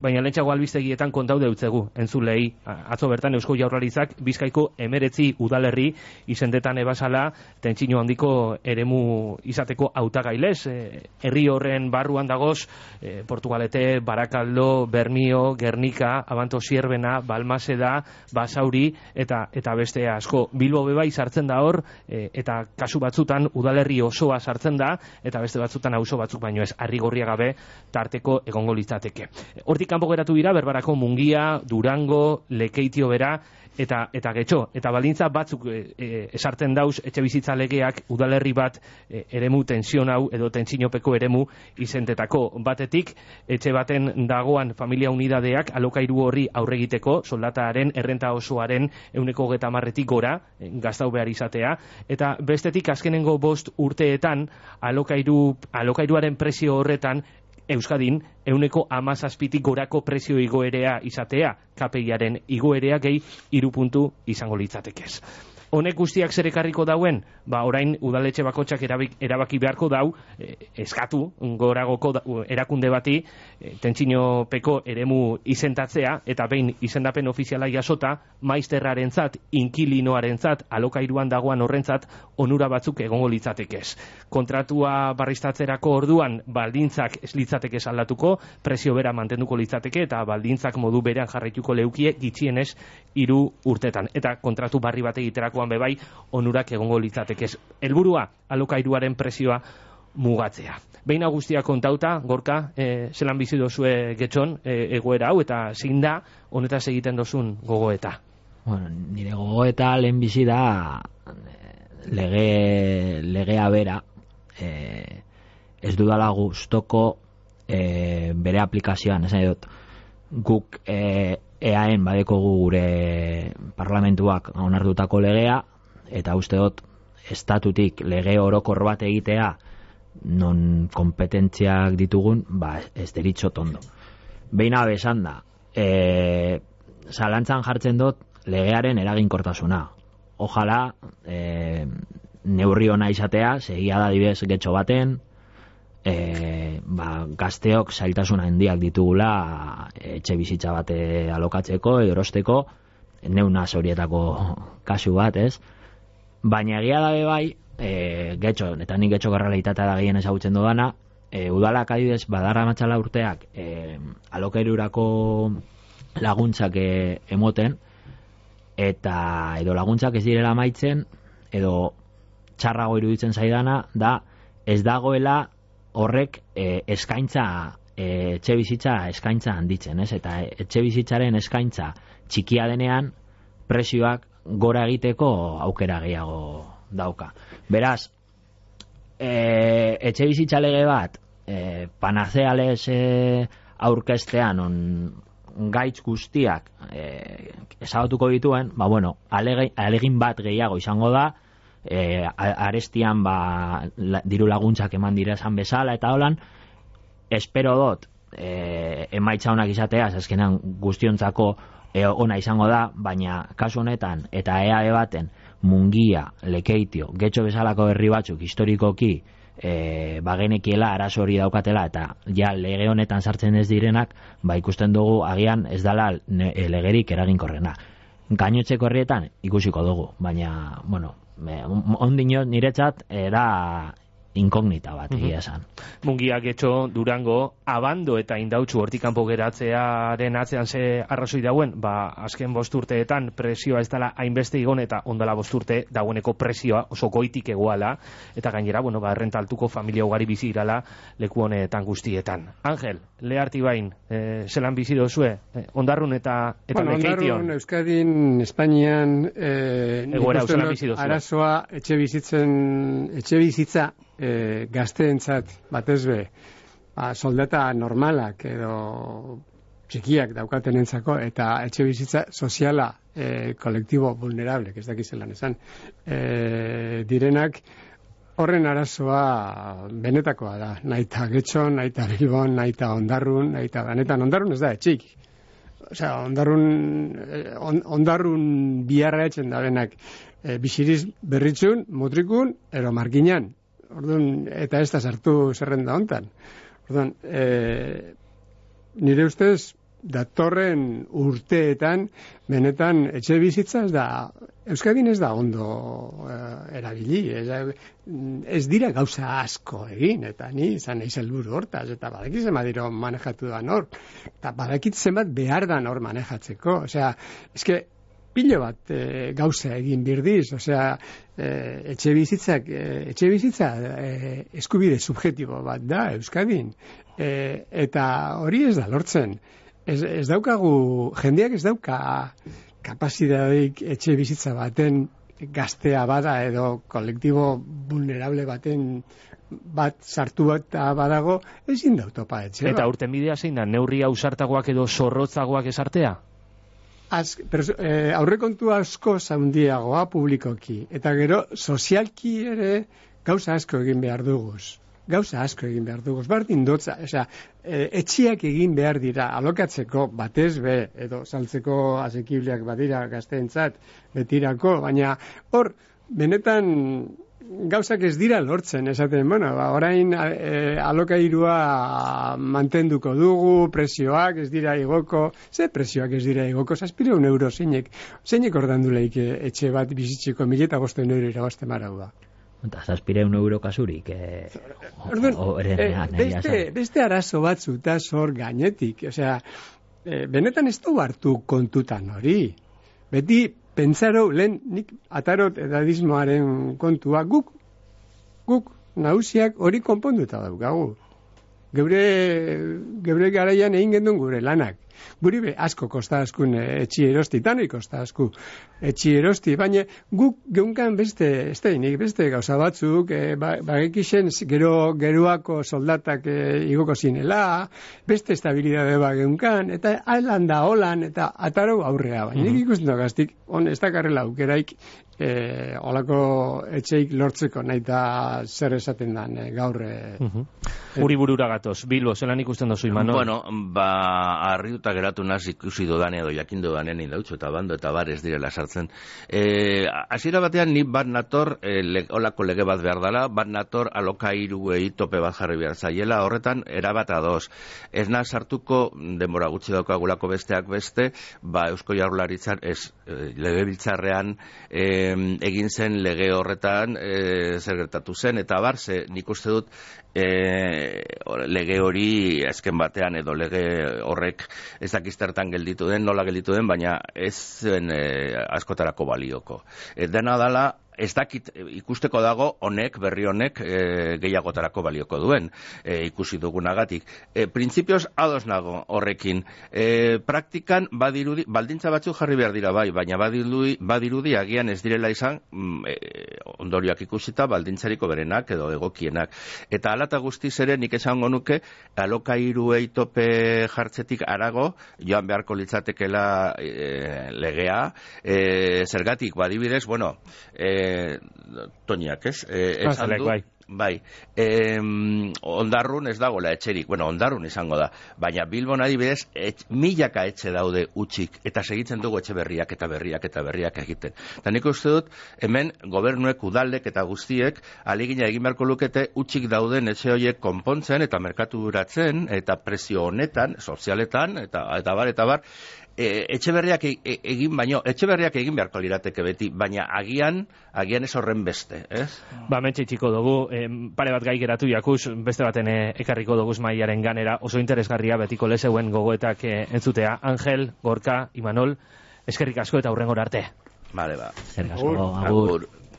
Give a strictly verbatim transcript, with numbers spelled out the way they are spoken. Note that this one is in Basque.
Baina lentsago albistegietan kontau deutzegu, entzulei, atzo bertan Eusko Jaurlaritzak Bizkaiko emeretzi udalerri izendetan ebasala tentsio handiko eremu izateko hautagailez. Herri horren barruan dagoz, e, Portugalete, Barakaldo, Bermio, Gernika, Abanto Zierbena, Balmaseda, Basauri eta eta beste asko. Bilbo bebai sartzen da hor, e, eta kasu batzutan udalerri osoa sartzen da, eta beste batzutan auzo batzuk baino ez, Arrigorria gabe tarteko egongo litzateke. Hortik kanpo geratu dira Berbarako Mungia, Durango, Lekeitio bera eta eta Getxo, eta baldintza batzuk e, e, esartzen dauz etxe bizitza legeak udalerri bat e, eremu tension hau edo tentsinopeko eremu izentetako. Batetik, etxe baten dagoan familia unidadeak alokairu horri aurregiteko soldataren errenta osoaren ehuneko hogeita hamarretik gora gastau behar izatea, eta bestetik azkenengo bost urteetan alokairu, alokairuaren prezio horretan Euskadin ehuneko hamazazpitik gorako prezio igoerea izatea, K P I-aren igoerea gehi hiru puntu izango litzatekez. Honek guztiak zer ekarriko dauen, ba orain udaletxe bakotxak erabik, erabaki beharko dau, eh, eskatu goragoko da, erakunde bati eh, tentsinopeko eremu izentatzea, eta behin izendapen ofiziala jasota, maizterrarentzat, inkilinoarentzat, alokairuan dagoan horrentzat, onura batzuk egongo litzatekez. Kontratua barriztatzerako orduan, baldintzak ez litzatekez aldatuko, prezio bera mantenduko litzateke, eta baldintzak modu berean jarraituko leukie gitxienez hiru urtetan. Eta kontratu barri bat egiterako bebai onurak egongo litzatekez. Helburua alokairuaren prezioa mugatzea. Behin guztia kontauta, Gorka, e, zelan bizi dozue Getxon e, egoera hau, eta zein da honetaz egiten dozun gogoeta? Bueno, nire gogoeta lehen bizi da lege, legea bera e, ez dudala gustoko e, bere aplikazioan, esan dut guk e, E A en badekogu gure parlamentuak onartutako legea, eta uste dut estatutik lege orokor bat egitea non kompetentziak ditugun, ba ez deritxo tondo. Behin abesan da, e, zalantzan jartzen dut legearen eraginkortasuna. Ojala e, neurri ona izatea, segia da dibez Getxo baten, E, ba, gazteok zailtasun handiak ditugula etxe bizitza bate alokatzeko, erosteko, neunaz horietako kasu bat, ez? Baina egia dabe bai, e, Getxo, eta nik Getxo garraleitatea da gehien ezagutzen dudana, e, udalak adibidez badarra matxala urteak e, alokairurako laguntzak e, emoten, eta edo laguntzak ez direla maitzen, edo txarrago iruditzen zaidana, da ez dagoela horrek e, eskaintza e, etxe bizitza eskaintza handitzen, ez? Eta etxe bizitzaren eskaintza txikia denean prezioak gora egiteko aukera gehiago dauka. Beraz, e, etxe bizitza lege bat e, panazeales e, aurkestean on gaitz guztiak e, ezabatuko dituen, ba bueno, alege, alegin bat gehiago izango da, E, arestian ba, la, diru laguntzak eman dira esan bezala eta holan, espero dut e, emaitza honak izatea, azkenean guztiontzako e, ona izango da, baina kasu honetan eta E A E baten Mungia, Lekeitio, Getxo bezalako herri batzuk historikoki e, bagenekiela arazo hori daukatela, eta ja lege honetan sartzen ez direnak, ba ikusten dugu agian ez dala ne, e, legerik eraginkorrena. Gainotzeko herrietan ikusiko dugu, baina bueno, ondino niretzat era inkognita bat egia esan. Mungia, Getxo, Durango, Abando eta Indautxu hortik kanpo geratzearen atzean ze arrazoi dauen, ba azken bost urteetan prezioa ez dela hainbeste igon, eta ondala bost urte dagoeneko prezioa oso goitik egoala, eta gainera, bueno, ba errenta altuko familia ugari bizi irala leku honetan guztietan. Angel, Leartibain, eh, zelan bizi dozue? Eh, Ondarrun eta eta bueno, Lekeition. Ondarrun, Euskadin, Espainian, eh, egoera zelan bizi dozue? Arazoa etxe bizitzen, etxe bizitza E, gazteentzat batez be, ba, soldata normalak edo txikiak daukatenentzako, eta etxe bizitza soziala e, kolektibo vulnerable, ez dakizelan esan, e, direnak horren arazoa benetakoa da, naita Getxon, naita Bilbon, naita Ondarrun, naita benetan Ondarrun ez da etxik. Osea, Ondarrun, on, Ondarrun biharra etxen da benak e, bisiriz berritzun, mutrikun, ero markinan. Orduan, eta ez da sartu zerrenda hontan. Orduan, e, nire ustez, datorren urteetan benetan etxe bizitza ez da Euskadin ez da ondo uh, erabili, ez, ez dira gauza asko egin, eta ni izan nahi helburu hortaz, eta badakit zenbat diro manejatu da nor, eta badakit zenbat behar da nor manejatzeko, osea, eske pilo bat e, gauza egin birdiz, osea, e, etxe bizitzak, e, etxe bizitza e, eskubide subjektibo bat da Euskadin, e, eta hori ez da lortzen. Ez, ez daukagu, jendeak ez dauka kapazitateik etxe bizitza baten gaztea bada edo kolektibo vulnerable baten bat sartu bat badago, ezin da topa etxe. Eta urten bidea zein da, neurri ausartagoak edo zorrotzagoak esartea? Az, pero, eh, aurrekontu asko zaundiagoa publikoki, eta gero sozialki ere gauza asko egin behar duguz. Gauza asko egin behar duguz. Bardin dotza, osea, e, etxiak egin behar dira alokatzeko batez be, edo saltzeko asekibleak badira gazteentzat betirako, baina hor, benetan gauzak ez dira lortzen, esaten, bueno, ba, orain e, alokairua mantenduko dugu, presioak ez dira igoko, ze presioak ez dira igoko, zazpireun euro zeinek, zeinek ordanduleik etxe bat bizitzeko mileta bosten euro irabazte marau da. Eta zazpireun euro kasurik, eh, Orduan, o, o, eren, eh, beste, beste arazo batzu eta zor gainetik, osea, eh, benetan ez du hartu kontutan hori, beti pentsaro, lehen nik atarot edadismoaren kontua, guk, guk nagusiak hori konponduta daukagu. Geure, geure garaian egin gendun gure lanak. Guri be, asko kosta askun etxi erosti, tanoi kosta asku etxi erosti, baina guk geunkan beste, ez da inik, beste gauza batzuk, e, ba, bagekixen gero, geroako soldatak e, igoko zinela, beste estabilidade ba geunkan, eta alan da holan, eta ataro aurrea, baina nik ikusten gaztik, on, ez dakarrela aukeraik, e, olako etxeik lortzeko nahi eta zer esaten dan e, gaur. E, uh-huh. e, Uri burura gatoz, Bilbo, zelan ikusten dozu, Imanol? Bueno, ba, arriuta geratu naz ikusi dodan edo jakin dodanen indautxo eta bando eta bar ez direla sartzen. E, hasiera batean ni bat nator, e, le, olako lege bat behar dela, bat nator alokairuei tope bat jarri behar zaiela, horretan erabat ados. Ez naz sartuko, denbora gutxi daukagulako besteak beste, ba Eusko Jaurlaritzan, ez, e, legebiltzarrean e, egin zen lege horretan e, zer gertatu zen, eta bar, ze nik uste dut e, lege hori azken batean edo lege horrek ez dakiztertan gelditu den, nola gelditu den, baina ez zen e, askotarako balioko. E, dena dala, ez dakit ikusteko dago honek, berri honek e, gehiagotarako balioko duen, e, ikusi dugunagatik. E, Printzipioz ados nago horrekin. E, praktikan badirudi, baldintza batzuk jarri behar dira bai, baina badirudi, badirudi agian ez direla izan e, ondorioak ikusita baldintzariko berenak edo egokienak. Eta alata guztiz ere nik esango nuke alokairuei tope jartzetik arago joan beharko litzatekela e, legea, e, zergatik badibidez, bueno, e, Toñak, ez? Eh, esan du, bai. Bai, eh, ondarrun ez dagoela etxerik, bueno, ondarrun izango da, baina Bilbon adibidez, et, milaka etxe daude utxik, eta segitzen dugu etxe berriak eta berriak eta berriak egiten. Eta nik uste dut, hemen gobernuek, udaldek eta guztiek, aligina egin beharko lukete utxik dauden etxe horiek konpontzen eta merkaturatzen, eta prezio honetan, sozialetan, eta, eta bar, eta bar, E, etxe berriak egin baino, etxe berriak egin beharko lirateke beti, baina agian, agian ez horren beste, ez? Ba, mentxe txiko dugu, eh, pare bat gai geratu jakuz, beste baten eh, ekarriko dugu maiaren ganera, oso interesgarria betiko lezeuen gogoetak eh, entzutea. Angel, Gorka, Imanol, eskerrik asko eta hurrengora arte. Vale, ba. Eskerrik asko, agur.